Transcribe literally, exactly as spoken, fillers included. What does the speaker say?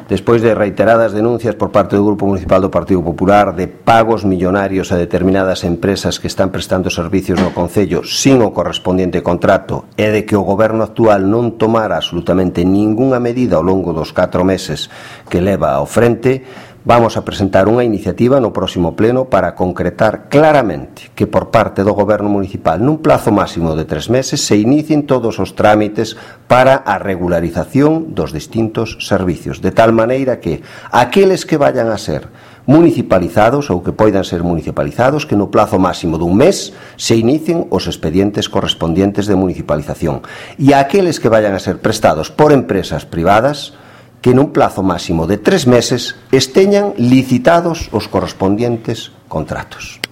despois de reiteradas denuncias por parte do Grupo Municipal do Partido Popular de pagos millonarios a determinadas empresas que están prestando servicios no Concello sin o correspondiente contrato e de que o Goberno actual non tomara absolutamente ningunha medida ao longo dos catro meses que leva ao frente, vamos a presentar unha iniciativa no próximo pleno para concretar claramente que por parte do Goberno Municipal nun plazo máximo de tres meses se inicien todos os trámites para a regularización dos distintos servicios, de tal maneira que aqueles que vayan a ser municipalizados ou que poidan ser municipalizados, que no plazo máximo dun mes se inicien os expedientes correspondientes de municipalización, e aqueles que vayan a ser prestados por empresas privadas, que nun plazo máximo de tres meses esteñan licitados os correspondientes contratos.